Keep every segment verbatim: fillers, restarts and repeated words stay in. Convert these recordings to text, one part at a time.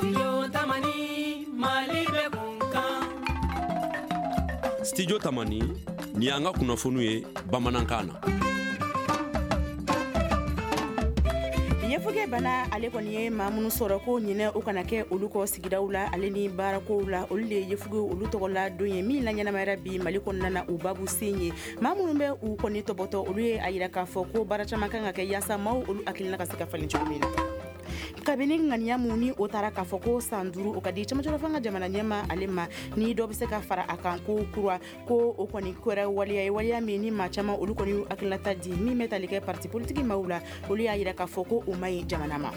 Tamani, Mali bɛ kun kan. Studio Tamani, ni y'an ka kunnafoniw ye bamanankan na. Yefuge bana, ale kɔni ye maa minnu sɔrɔ, ko ɲinɛ o kana kɛ olu kɔ sigidaw la ale ni baarakow la. Olu de ye yefuge olu tɔgɔla don ye min la ɲɛnamayara bi Mali kɔnɔna na. U babu sen ye maa minnu bɛ u kɔni tɔbɔtɔ, olu ye a yira k'a fɔ ko baara caman kan ka kɛ yaasa maaw olu hakilina ka se ka falen cogo min na. Kabini ŋaniya mun ni o taara k'a fɔ ko san duuru o ka di camancɛla fanga jamana ɲɛma ale ma, ni dɔ bɛ se ka fara a kan ko kura, ko o kɔni kɛra waleya ye, waleya min ni maa caman olu kɔni y'u hakilinata di. Min bɛ tali kɛ parti politiki maaw la, olu y'a yira k'a fɔ ko o man ɲi jamana ma.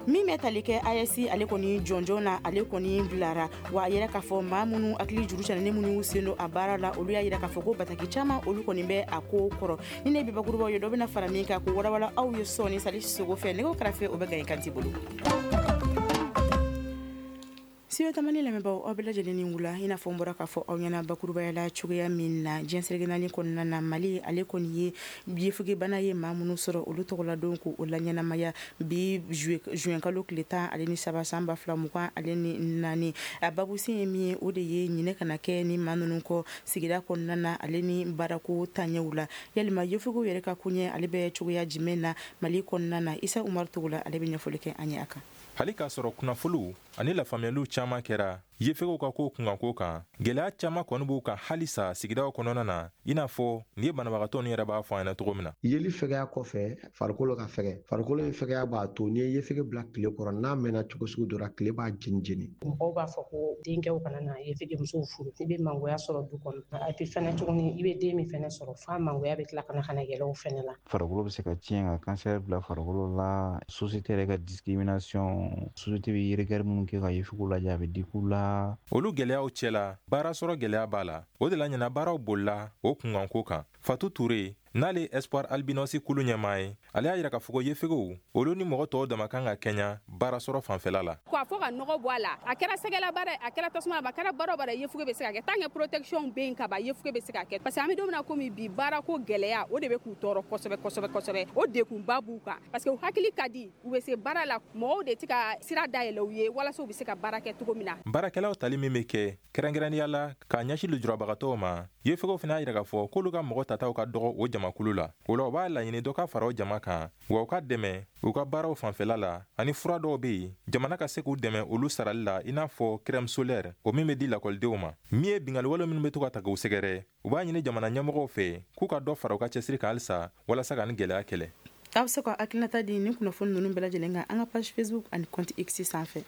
Min bɛ tali kɛ A E S, ale kɔni jɔnjɔn na, ale kɔni bilara wa. A yɛrɛ k'a fɔ maa minnu hakili juru cɛnni, minnu y'u sen don a baara la, olu y'a yira k'a fɔ ko bataki caman olu kɔni bɛ a ko kɔrɔ. Ni ne bi bakurubaw ye, dɔ bɛna fara min kan ko walawala aw ye sɔɔni Sali Sogo fɛ. Nɛgɛw kɛrɛfɛ, o bɛ Gaɲi Kanti bolo. Studio Tamani lamɛnbaaw, aw bɛɛ lajɛlen ni wula. I n'a fɔ n bɔra k'a fɔ aw ɲɛna bakurubaya la cogoya min na, diɲɛ seleke naani kɔnɔna na, Mali ale kɔni ye yefuge bana ye maa minnu sɔrɔ, olu tɔgɔla don ko o la ɲɛnamaya bi juin kalo tile tan ale ni saba san ba fila mugan ale ni naani. A babusen ye min ye, o de ye ɲinɛ kana kɛ ni maa ninnu kɔ sigida kɔnɔna na ale ni baarako taɲɛw la. Yalima yefugew yɛrɛ ka koɲɛ ale bɛ cogoya jumɛn na Mali kɔnɔna na? Isa Umaru Togola, ale bɛ ɲɛfɔli kɛ an ye a kan. Hali k'a sɔrɔ kunnafoniw ani lafaamuyaliw caaman kɛra yefegew ka ko kunkanko kan, gwɛlɛya caaman kɔni b'u kan halisa sigidaw kɔnɔna na, i n'a fɔ nin ye banabagatɔ ni yɛrɛ b'a fɔ an ɲɛna cogo min na. Yeli fɛgɛya kɔfɛ, farikolo ka fɛgɛ, farikolo in fɛgɛya b'a to n'i ye yefege bila tile kɔrɔ, n'a mɛnna cogo sugu dɔ la, tile b'a jeni jeni. Mɔgɔw b'a fɔ ko denkɛw kana na yefege musow furu. I bɛ mangoya sɔrɔ du kɔnɔ, a bɛ fɛnɛ tuguni, i bɛ den min fɛnɛ sɔrɔ, f'a mangoya bɛ tila ka na ka na yɛlɛ o fɛnɛ la. Farikolo bɛ se ka tiɲɛ, ka cancer bila farikolo la. Société yɛrɛ ka discrimination, société bɛ regard minnu kɛ ka yefegew lajɛ, a bɛ digi u la. Olu gwɛlɛyaw cɛla, baara sɔrɔ gwɛlɛya b'a la. O de la ɲina baaraw bolila o kunkanko kan. Fatu Ture, n'ale Espoir Albinos kulu ɲɛmaa ye, ale y'a yira k'a fɔ ko yefegew olu ni mɔgɔ tɔw dama kan ka kɛɲa baara sɔrɔ fanfɛla la. K'a fɔ ka nɔgɔ bɔ a la, a kɛra sɛgɛla baara, a kɛra tasuma, a kɛra baara o baara, yefuge bɛ se ka kɛ. Tant que protection bɛ yen ka ban, yefuge bɛ se ka kɛ, parce que an bɛ don min na komi bi, baarako gɛlɛya, o de bɛ k'u tɔɔrɔ kosɛbɛ kosɛbɛ kosɛbɛ. O degunba b'u kan, parce que u hakili ka di, u bɛ se baara la. Mɔgɔw de tɛ ka sira dayɛlɛ u ye walasa u bɛ se ka baara kɛ cogo min na. Baarakɛlaw tali min bɛ kɛ kɛrɛnkɛrɛnnenya la k'a ɲɛsin lujurabagatɔw ma, yefegew fana y'a yira k'a fɔ k'olu ka mɔgɔ tataw ka dɔgɔ o jamakulu la. O la, u b'a laɲini dɔ ka fara o jama kan, wa u ka dɛmɛ u ka baaraw fanfɛla la, ani fura dɔw be yen, jamana ka se k'u dɛmɛ olu sarali la, i n'a fɔ crème solaire, o min be di lakɔlidenw ma. Min ye bingaliwale minnu be to ka ta k'u sɛgɛrɛ, u b'a ɲini jamana ɲɛmɔgɔw fɛ k'u ka dɔ fara u ka cɛsiri kan halisa walasa ka ni gwɛlɛya kɛlɛ. Aw bɛ se ka hakilinata di ni kunnafoni ninnu bɛɛ lajɛlen kan an ka page Facebook ani compte X sanfɛ.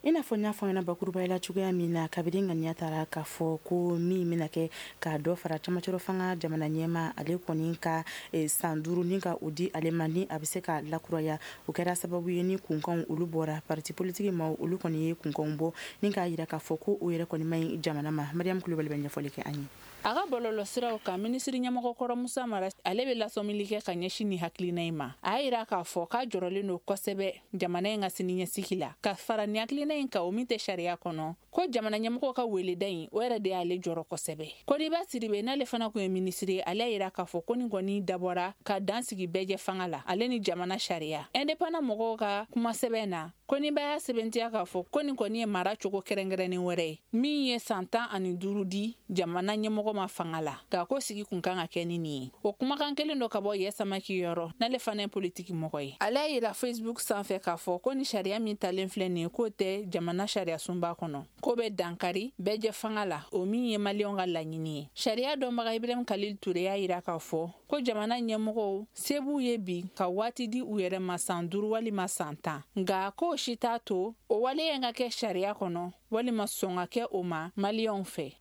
I n'a fɔ n y'a fɔ ɲɛna bakurubaya la cogoya min na, kabini ŋaniya taara k'a fɔ ko min bɛna kɛ ka dɔ fara camancɛrɔ fanga jamana ɲɛma, ale kɔni ka san duuru ni ka o di ale ma, ni a bɛ se ka lakuraya, o kɛra sababu ye ni kunkanw olu bɔra. Parti politique maaw, olu kɔni ye kunkanw bɔ ni k'a yira k'a fɔ ko o yɛrɛ kɔni man ɲi jamana ma. Mariam Kulubali bɛ ɲɛfɔli kɛ an ye. A ka bɔlɔlɔsiraw kan, minisiri ɲɛmɔgɔkɔrɔ Musa Mara, ale bɛ lasɔmili kɛ ka ɲɛsin ni hakilina in ma. A y'a yira k'a fɔ k'a jɔrɔlen don kosɛbɛ jamana in ka siniɲɛsigi la. Ka fara ni hakilina in kan, o min tɛ sariya kɔnɔ, ko jamana ɲɛmɔgɔw ka weleda in, o yɛrɛ de y'ale jɔrɔ kosɛbɛ. Kodiba Siribe, n'ale fana kun ye minisiri ye, ale y'a yira k'a fɔ ko nin kɔni dabɔra ka dan sigi bɛɛjɛ fanga la ale ni jamana sariya. Indépendant mɔgɔw ka kumasɛbɛn na, Koniba y'a sɛbɛntiya k'a fɔ ko nin kɔni ye mara cogo kɛrɛnkɛrɛnnen wɛrɛ ye min ye san tan ani duuru di jamana ɲɛmɔgɔ ma fanga la, nka ko sigi kun kan ka kɛ ni nin ye. O kumakan kelen dɔ ka bɔ Yɛ Samaki yɔrɔ, n'ale fana ye politiki mɔgɔ ye, ale y'a yira Facebook sanfɛ k'a fɔ ko ni sariya min talen filɛ nin ye, k'o tɛ jamana sariya sunba kɔnɔ, k'o bɛ dankari bɛɛjɛ fanga la, o min ye maliyɛnw ka laɲini ye. Sariya dɔnbaga Ibrahim Kalil Ture y'a yira k'a fɔ ko jamana ɲɛmɔgɔw se b'u ye bi ka waati di u yɛrɛ ma, san duuru walima san tan, nka k'o si t'a to o waleya in ka kɛ sariya kɔnɔ walima sɔn ka kɛ o ma maliyɛnw fɛ.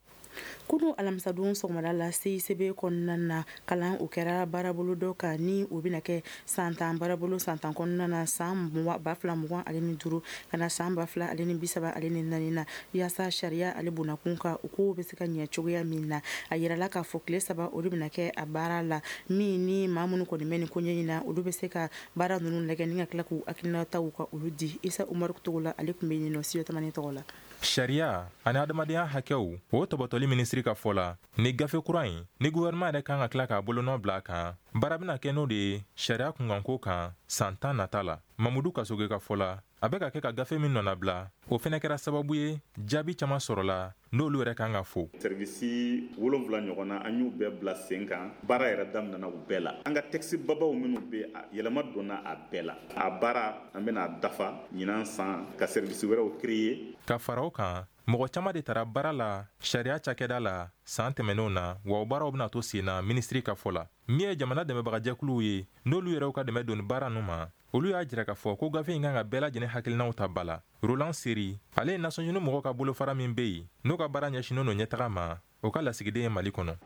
Kunu alamisadon sɔgɔmada la, C I C B kɔnɔna na, kalan o kɛra baarabolo dɔ kan ni o bɛna kɛ san tan baarabolo, san tan kɔnɔna na, san ba fila mugan ale ni duuru ka na san ba fila ale ni bi saba ale ni naani na, yaasa sariya ale bonnakun kan, o kow bɛ se ka ɲɛ cogoya min na. A yirala k'a fɔ tile saba o de bɛna kɛ a baara la, min ni maa minnu kɔni bɛ nin ko ɲɛ in na, olu bɛ se ka baara ninnu lajɛ ni ka tila k'u hakilinataw ka olu di. Isa Umaru Togola, ale tun bɛ yen nɔ Studio Tamani tɔgɔ la. Sariya ani adamadenya hakɛw o tɔbɔtɔli minisiri ka fɔ la, ni gafe kura in ni gouvernement yɛrɛ kan ka tila k'a bolonɔ bila a kan, baara bɛna kɛ n'o de ye sariya kunkanko kan san tan nata la. Mamudu Kasoge ka fɔ la, a bɛ ka kɛ ka gafe min nɔnabila, o fɛnɛ kɛra sababu ye jaabi caman sɔrɔla n'olu yɛrɛ kan ka fo. Service wolonwula ɲɔgɔn na, an y'u bɛɛ bila sen kan, baara yɛrɛ daminɛna u bɛɛ la. An ka texte babaw minnu bɛ, yɛlɛma donna a bɛɛ la. A baara an bɛna dafa ɲinan san ka service wɛrɛw créer. Ka fara o kan, mɔgɔ caman de taara baara la sariya cakɛda la san tɛmɛnenw na, wa o baaraw bɛna to sen na minisiri ka fɔ la. Min ye jamana dɛmɛbagajɛkuluw ye, n'olu yɛrɛw ka dɛmɛ donni baara ninnu ma, olu y'a jira k'a fɔ ko gafe in kan ka bɛɛ lajɛlen hakilinaw ta ba la. Roland Seri, ale ye Nations Unies mɔgɔw ka bolofara min bɛ yen, n'o ka baara ɲɛsinnen don ɲɛtaga ma, o ka lasigiden ye Mali kɔnɔ.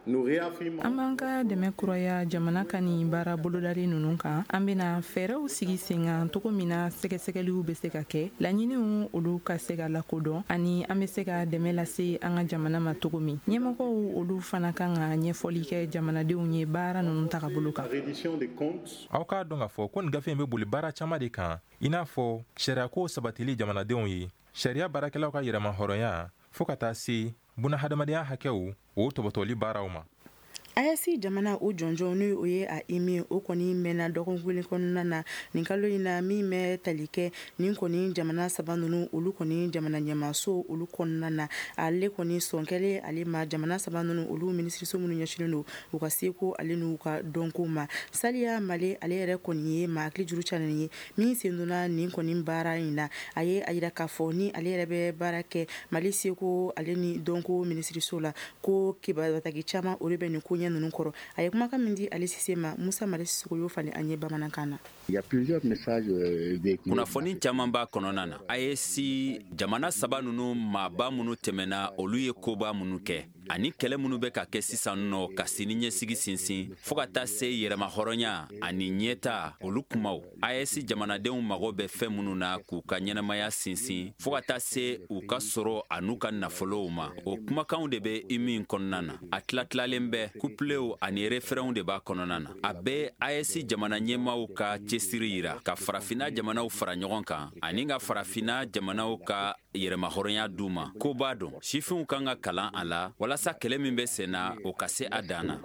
An b'an ka dɛmɛ kuraya jamana ka nin baara bolodalen ninnu kan. An bɛna fɛɛrɛw sigi sen kan cogo min na sɛgɛsɛgɛliw bɛ se ka kɛ, laɲiniw olu ka se ka lakodɔn, ani an bɛ se ka dɛmɛ lase an ka jamana ma cogo min. Ɲɛmɔgɔw olu fana kan ka ɲɛfɔli kɛ jamanadenw ye baara ninnu tagabolo kan. Aw k'a dɔn k'a fɔ ko nin gafe in bɛ boli baara caman de kan, i n'a fɔ sariyako sabatili jamanadenw ye, sariya baarakɛlaw ka yɛrɛmahɔrɔnya, fo ka taa se bunahadamadenya hakɛw o tɔbɔtɔli baaraw ma. A E S jamana o jɔnjɔn ni o ye a I M I, o kɔni mɛnna dɔgɔkun kelen kɔnɔna na nin kalo in na, min bɛ tali kɛ nin kɔni jamana saba ninnu olu kɔni jamana ɲɛmaso olu kɔnɔna na. Ale kɔni sɔn kɛlen ale ma, jamana saba ninnu olu minisiriso minnu ɲɛsinnen don u ka seko ale n'u ka dɔnko ma, Saliya Male, ale yɛrɛ kɔni ye maa hakili juru canen ye min sen donna nin kɔni baara in na. A ye a yira k'a fɔ ni ale yɛrɛ bɛ baara kɛ Mali seko ale ni dɔnko minisiriso la, ko kibaruya caman olu bɛ nin ko ɲɛ ninnu kɔrɔ. A ye kumakan min di ale Sise ma, Musa Mari Sisoko y'o falen an ye bamanankan na. Kunnafoni caman b'a kɔnɔna na. A E S jamana saba ninnu maaba minnu tɛmɛna, olu ye koba minnu kɛ ani kɛlɛ minnu bɛ ka kɛ sisan nɔ ka sini ɲɛsigi sinsin, fɔɔ ka taa se yɛrɛmahɔrɔnya ani ɲɛta olu kumaw, A E S jamanadenw mago bɛ fɛn minnu na k'u ka ɲɛnamaya sinsin, fɔɔ ka taa se u ka sɔrɔ an'u ka nafolow ma, o kumakanw de bɛ I M I kɔnɔna na. A tila-tilalen bɛ kuplew ani refrɛnw de b'a kɔnɔna na. A bɛ A E S jamana ɲɛmaw ka cɛsiri yira ka farafina jamanaw fara ɲɔgɔn kan ani ka farafina jamanaw ka yɛrɛmahɔrɔnya d'u ma. Ko b'a dɔn sifinw kan ka kalan a la walasa kɛlɛ min bɛ sen na, o ka se a dan na.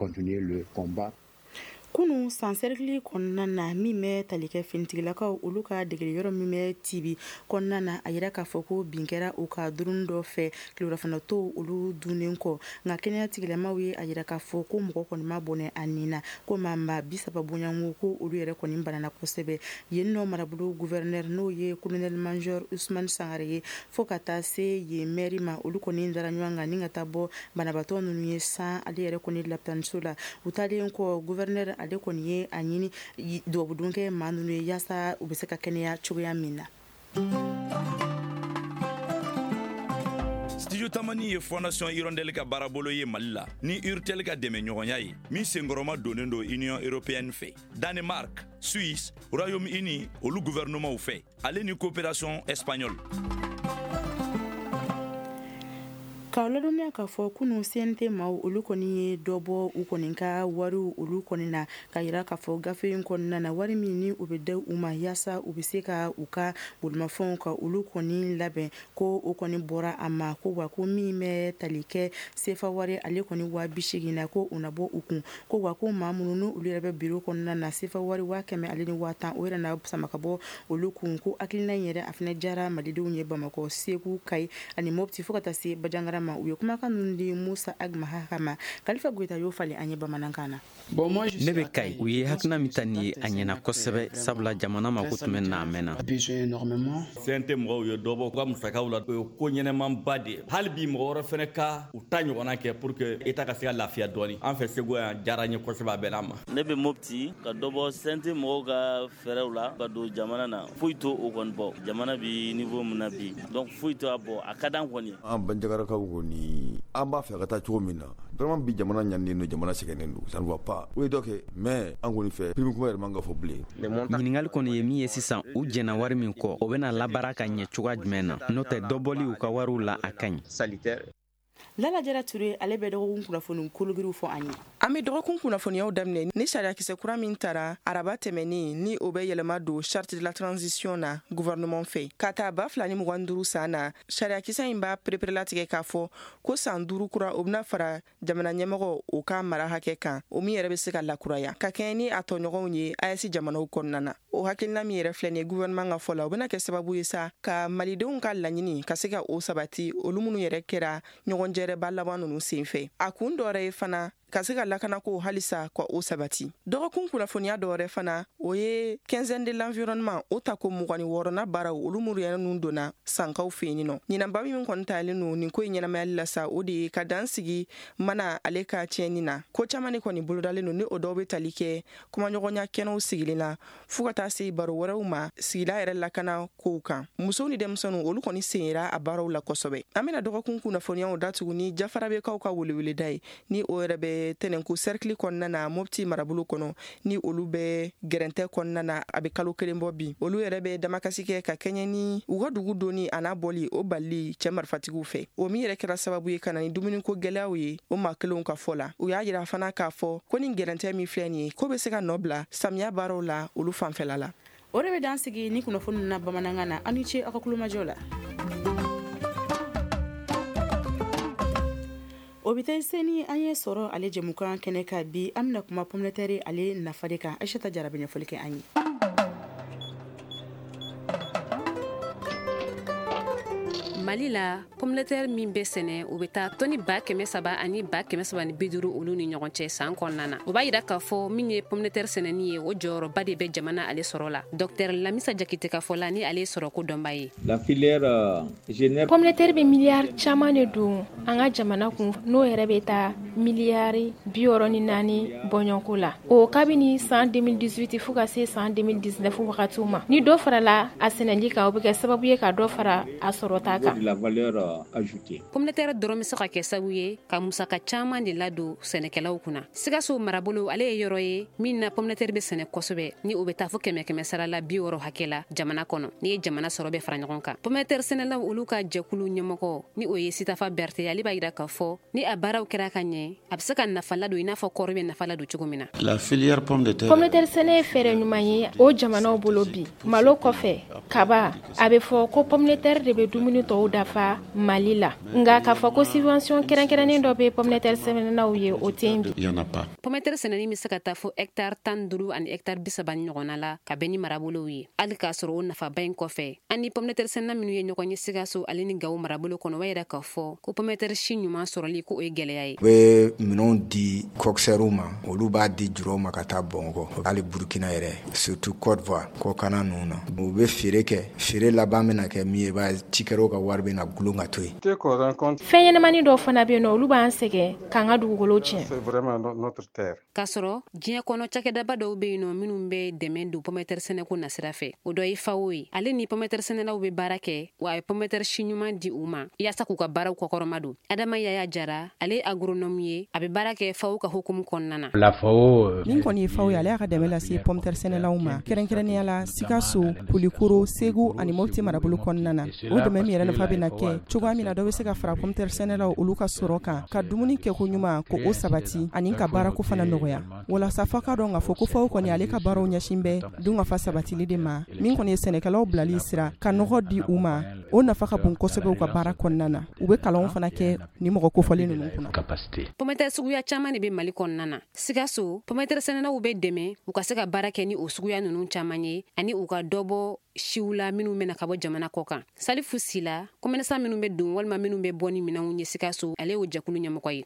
Kunu san sɛrikili kɔnɔna na, min bɛ tali kɛ finitigilakaw olu ka degeli yɔrɔ min bɛ Tibi kɔnɔna na, a yira k'a fɔ ko bin kɛra u ka drone dɔ fɛ tileganfɛnatɔw olu dunnen kɔ. Nka kɛnɛya tigilamaw ye a yira k'a fɔ ko mɔgɔ kɔni ma bɔnɛ a nin na, ko maa maa bi saba bonyanko ko olu yɛrɛ kɔni banana kosɛbɛ yen nɔ. Marabolo gouverneur, n'o ye colonel major Usman Sangare ye, fo ka taa se yen maire ma, olu kɔni dara ɲɔgɔn kan ni ka taa bɔ banabaatɔ ninnu ye san ale yɛrɛ kɔni lapitaniso la. U taalen kɔ, gouverneur ale kɔni ye a ɲini dubabudon kɛ maa ninnu ye yaasa u bɛ se ka kɛnɛya cogoya min na. Studio Tamani ye Fondation Hirondelle ka baarabolo ye Mali la ni Urtel ka dɛmɛ ɲɔgɔnya ye, min senkɔrɔma donnen don Union européenne fɛ, Danemark, Suisse, Royaume-Uni olu gouvernement fɛ, ale ni coopération espagnole. K'aw ladɔnniya k'a fɔ kunun C N T maaw olu kɔni ye dɔ bɔ u kɔni ka wariw olu kɔni na, ka yira k'a fɔ gafe in kɔnɔna na, wari min ni u bɛ da u ma yaasa u bɛ se ka u ka bolimafɛnw ka olu kɔni labɛn, ko o kɔni bɔra a ma. Ko wa ko min bɛ tali kɛ sefa wari ale kɔni waa bi seegin na, ko o na bɔ u kun. Ko wa ko maa minnu n'olu yɛrɛ bɛ biro kɔnɔna na, sefa wari waa kɛmɛ ale ni waa tan, o yɛrɛ na sama ka bɔ olu kun. Ko hakilina in yɛrɛ, a fana diyara malidenw ye Bamakɔ, Segu, Kayi ani Mopti, fo ka taa se Bajangara ma. U ye kumakan ninnu di Musa Agmaha ma, Kalifa Goyita y'o falen an ye bamanankan na. Ne bɛ Kayi. U ye hakilina min ta nin ye, a ɲɛna kosɛbɛ, sabula jamana mako tun bɛ na a mɛnna. C N T mɔgɔw ye dɔ bɔ u ka musakaw la, o ye ko ɲɛnɛmanba de ye. Hali bi mɔgɔ wɛrɛ fɛnɛ ka u ta ɲɔgɔnna kɛ pour que État ka se ka lafiya dɔɔni. An fɛ Segu yan, diyara n ye kosɛbɛ, a bɛn'a ma. Ne bɛ Mopti. Ka dɔ bɔ C N T mɔgɔw ka fɛɛrɛw la ka don jamana na, foyi to o kɔni bɔ. Jamana bi niveau min na bi, donc foyi to a bɔ, a ka d'an kɔni. An Banjagarakaw kɔni, an b'a fɛ ka taa cogo min na, vraiment bi jamana ɲaninen don, jamana sɛgɛnnen don, ça ne va pas. O ye dɔ kɛ, mais an kɔni fɛ, prime kuma yɛrɛ man ka fɔ bilen. Ɲininkali kɔni ye min ye sisan, u jɛnna wari min kɔ, o bɛna labaara ka ɲɛ cogoya jumɛn na? N'o tɛ, dɔ bɔli u ka wariw la, a ka ɲi. Lala Jara Ture, ale bɛ dɔgɔkun kunnafoni kologiriw fɔ an ye. An bɛ dɔgɔkun kunnafoniyaw daminɛ ni sariyakisɛ kura min tara araba tɛmɛnen, ni o bɛ yɛlɛma don charte de la transition na gouvernement fɛ ka taa ba fila ni mugan duuru san na. Sariyakisɛ in b'a pereperelatigɛ k'a fɔ ko san duuru kura o bɛna fara jamana ɲɛmɔgɔ o ka mara hakɛ kan, o min yɛrɛ bɛ se ka lakuraya ka kɛɲɛ ni a tɔɲɔgɔnw ye A E S jamanaw kɔnɔna na. O hakilina min yɛrɛ filɛ nin ye gouvernement ka fɔ la, o bɛna kɛ sababu ye sa ka malidenw ka laɲini ka se ka o sabati, olu minnu yɛrɛ kɛra ɲɔgɔn jɛrɛba laban ninnu senfɛ. A kun dɔ wɛrɛ ye fana ka se ka lakanako halisa ka o sabati. Dɔgɔkun kunnafoniya dɔ wɛrɛ fana, o ye quinzaine de l'environnement o tako mugan ni wɔɔrɔnan baaraw, olu minnu yɛrɛ ninnu donna sankaw fɛ yen nɔ. Ɲinanba min kɔni talen don nin ko in ɲɛnamayali la sa, o de ye ka dan sigi mana ale ka tiɲɛni na. Ko caman de kɔni bolodalen don, ni o dɔw bɛ tali kɛ kumaɲɔgɔnya kɛnɛw sigilen la fo ka taa se baro wɛrɛw ma sigida yɛrɛ lakana kow kan. Musow ni denmisɛnninw, olu kɔni sen yera a baaraw la kosɛbɛ. An bɛna dɔgɔkun kunnafoniyaw datugu ni Jafarabekaw ka weleweleda ye, ni o yɛrɛ bɛ Tɛnɛnku cercle kɔnɔna na Mopti marabolo kɔnɔ, ni olu bɛ gɛrɛntɛ kɔnɔna na a bɛ kalo kelen bɔ bi. Olu yɛrɛ bɛ damakasi kɛ ka kɛɲɛ ni u ka dugu donni a n'a bɔli o balili cɛ marifatigiw fɛ, o min yɛrɛ kɛra sababu ye ka na ni dumuniko gɛlɛyaw ye o maa kelenw ka fɔ la. U y'a yira fana k'a fɔ ko nin gɛrɛntɛ min filɛ nin ye, ko bɛ se ka nɔ bila samiya baaraw la olu fanfɛla la. O de bɛ dan sigi ni kunnafoni na bamanankan na. Aw ni ce aw ka kulomajɔ la. O bɛ taa seni an ye sɔrɔ ale jɛmukan kɛnɛ kan bi. An bɛna kuma pomme de terre ale nafa de kan. Aïssata Jara bɛ ɲɛfɔli kɛ an ye. Mali la, pomme de terre min bɛ sɛnɛ, o bɛ taa tɔni ba kɛmɛ saba ani ba kɛmɛ saba ni bi duuru olu ni ɲɔgɔn cɛ san kɔnɔna na. O b'a yira k'a fɔ min ye pomme de terre sɛnɛni ye, o jɔyɔrɔba de bɛ jamana ale sɔrɔ la. Docteur Lamisa Jakite ka fɔ la, ni ale ye sɔrɔko dɔnba ye. La filière génère pomme de terre bɛ miliyari caman de don an ka jamana kun, n'o yɛrɛ bɛ taa miliyari bi wɔɔrɔ ni naani bɔɲɔgɔnko la. O kabini san deux mille dix-huit fo ka se san deux mille dix-neuf wagatiw ma. Ni dɔ farala a sɛnɛli kan, o bɛ kɛ sababu ye ka dɔ fara a sɔrɔta kan. La valeur ajoutée. Pomme de terre dɔrɔn bɛ se ka kɛ sababu ye ka musaka caman de ladon sɛnɛkɛlaw kunna. Sikaso marabolo ale ye yɔrɔ ye min na pomme de terre bɛ sɛnɛ kosɛbɛ, ni o bɛ taa fo kɛmɛ kɛmɛ sara la bi wɔɔrɔ hakɛ la jamana kɔnɔ. N'i ye jamana sɔrɔ bɛ fara ɲɔgɔn kan. Pomme de terre sɛnɛlaw olu ka jɛkulu ɲɛmɔgɔ, ni o ye Sitafa Berete, ale b'a yira k'a fɔ ni a baaraw kɛra ka ɲɛ, a bɛ se ka nafa ladon i n'a fɔ kɔɔri bɛ nafa ladon cogo min na. La filière pomme de terre. Pomme de terre sɛnɛ ye fɛɛrɛ ɲuman ye o jamanaw bolo bi. Malo kɔfɛ, kaba, a bɛ fɔ ko pomme de terre de bɛ dumuni tɔw dafa Mali la. Nka k'a fɔ ko subvention kɛrɛnkɛrɛnnen dɔ bɛ pomme de terre sɛnɛnaw ye, o tɛ yen bi. Pomme de terre sɛnɛni bɛ se ka taa fo hectare tan duuru ani hectare bi saba ni ɲɔgɔnna la ka bɛn ni marabolow ye. Hali k'a sɔrɔ o nafaba in kɔfɛ, an ni pomme de terre sɛnɛna minnu ye ɲɔgɔn ye Sikaso ale ni Gawo marabolo kɔnɔ, o b'a yira k'a fɔ ko pomme de terre si ɲuman sɔrɔli ko o ye gɛlɛya ye. U bɛ minɛnw di coxeurs ma, olu b'a di jurɔw ma ka taa Bamakɔ, hali Burukina yɛrɛ, surtout Côte d'Ivoire kɔkanna ninnu na. U bɛ feere kɛ, feere laban bɛna kɛ min ye, i b'a ye cikɛlaw ka wari bɛna gulon ka to yen. Fɛn ɲɛnamani dɔw fana bɛ yen nɔ, olu b'an sɛgɛn k'an ka dugukolo tiɲɛ. K'a sɔrɔ diɲɛ kɔnɔ cakɛdaba dɔw bɛ yen nɔ minnu bɛ dɛmɛ don pomme de terre sɛnɛko nasira fɛ, o dɔ ye FAO ye. Ale ni pomme de terre sɛnɛlaw bɛ baara kɛ, wa a ye pomme de terre si ɲuman di u ma yaasa k'u ka baaraw kɔkɔrɔma don. Adama Yaya Jara, ale ye agronome ye, a bɛ baara kɛ FAO ka hukumu kɔnɔna na. La FAO min kɔni ye FAO ye, ale y'a ka dɛmɛ lase pomme de terre sɛnɛlaw ma, kɛrɛnkɛrɛnnenya la Sikaso, Kulikoro, Segu ani Mopti marabolo kɔnɔna na. O dɛmɛ min yɛrɛ nafa bɛna kɛ cogoya min na dɔ bɛ se ka fara pomme de terre sɛnɛlaw olu ka sɔrɔ kan, ka dumuni kɛko ɲuman ko o sabati ani ka baarako fana nɔgɔya. Walasa fɔ ka dɔn k'a fɔ ko FAO kɔni ale ka baaraw ɲɛsin bɛ dunkafa sabatili de ma, min kɔni ye sɛnɛkɛlaw bilali sira ka nɔgɔ di u ma, o nafa ka bon kosɛbɛ u ka baara kɔnɔna na. U bɛ kalanw fana kɛ ni mɔgɔ kofɔlen ninnu kunna. Pomme de terre suguya caman de bɛ Mali kɔnɔna na. Sikaso, pomme de terre sɛnɛlaw bɛ dɛmɛ u ka se ka baara kɛ ni o suguya ninnu caman ye, ani u ka dɔ bɔ siw la minnu bɛna ka bɔ jamana kɔ kan. Salifu Sila, commerçant minnu bɛ don walima minnu bɛ bɔ ni minɛnw ye Sikaso, ale y'o jɛkulu ɲɛmɔgɔ ye.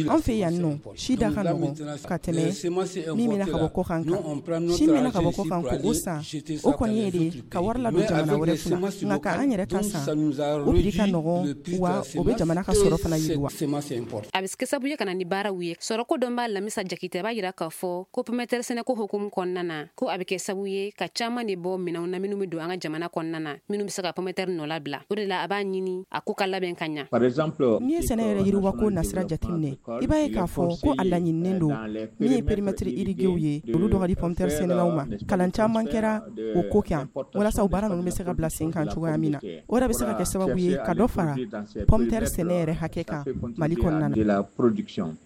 An fɛ yan nɔ, si da ka nɔgɔn ka tɛmɛ min bɛna ka bɔ kɔkan kan. Si min bɛna ka bɔ kɔkan ko o san, o kɔni ye de ka wari ladon jamana wɛrɛ kunna, nka ka an yɛrɛ ta san, o prix ka nɔgɔn, wa o bɛ jamana ka sɔrɔ fana yiriwa. A bɛ kɛ sababu ye ka na ni baaraw ye. Sɔrɔko dɔnbaa Lamisa Jakite b'a yira k'a fɔ ko pomme de terre sɛnɛko hukumu kɔnɔna na, ko a bɛ kɛ sababu ye ka caman de bɔ minɛnw na minnu bɛ don an ka jamana kɔnɔna na, minnu bɛ se ka pomme de terre nɔ labila. O de la a b'a ɲini a ko ka labɛn ka ɲa. N'i ye sɛnɛ yɛrɛ yiriwako nasira jateminɛ, i b'a ye k'a fɔ ko a laɲininen don don, min ye périmètre irriguéw ye, olu dɔ ka di pomme de terre sɛnɛlaw ma. Kalan caman kɛra o ko kan walasa o baara ninnu bɛ se ka bila sen kan cogoya min na. O yɛrɛ bɛ se ka kɛ sababu ye ka dɔ fara pomme de terre sɛnɛ yɛrɛ hakɛ kan Mali kɔnɔna na.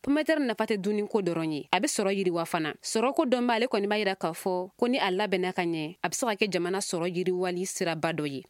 Pomme de terre nafa tɛ dumuni ko dɔrɔn ye, a bɛ sɔrɔ yiriwa fana. Sɔrɔko dɔnba ale kɔni b'a yira k'a fɔ ko ni a labɛnna ka ɲɛ, a bɛ se ka kɛ jamana sɔrɔ yiriwali siraba dɔ ye.